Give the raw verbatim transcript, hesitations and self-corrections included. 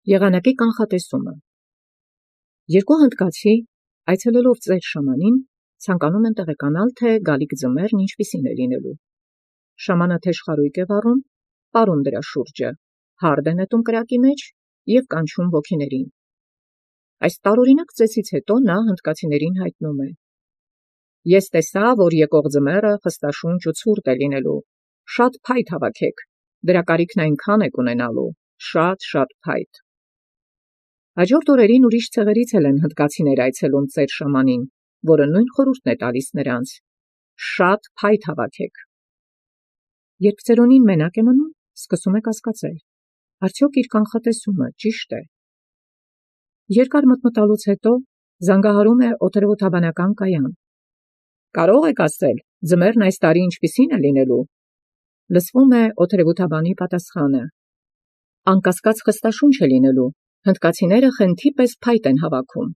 Եղանակի կանխատեսումը։ Երկու հնդկացի, այցելելով ծեր շամանին, ցանկանում են տեղեկանալ, թե գալիք ձմեռն ինչպիսին է լինելու։ Շամանը թեժխարույկ է վառում, պարում դրա շուրջը, հարդ է նետում կրակի մեջ և կանչում ոգիներին։ Այս տարօրինակ ծեսից հետո նա հնդկացիներին հայտնում է. «Ես տեսա, որ եկող ձմեռը խստաշունչ ու ցուրտ է լինելու, շատ փայտ հավաքեք, դրա կարիքն այնքան եք ունենալու, շատ շատ փայտ»։ Հաջորդ օրերին ուրիշ ցեղերից էլ են հնդկացիներ այցելում ծեր շամանին, որը նույն խորհուրդն է տալիս նրանց. «Շատ փայտ հավաքեք»։ Երբ ծերունին մենակ է մնում, սկսում է կասկածել. արդյոք իր կանխատեսումը ճիշտ է։ Երկար մտմտալուց հետո զանգահարում է օդերևութաբանական կայան։ «Կարո՞ղ եք ասել, ձմեռն այս տարի ինչպիսին է լինելու»։ Լսվում է օդերևութաբանի պատասխանը. «Անկասկած խստաշունչ է լինելու, հնդկացիները խենթի պես փայտ են հավաքում»։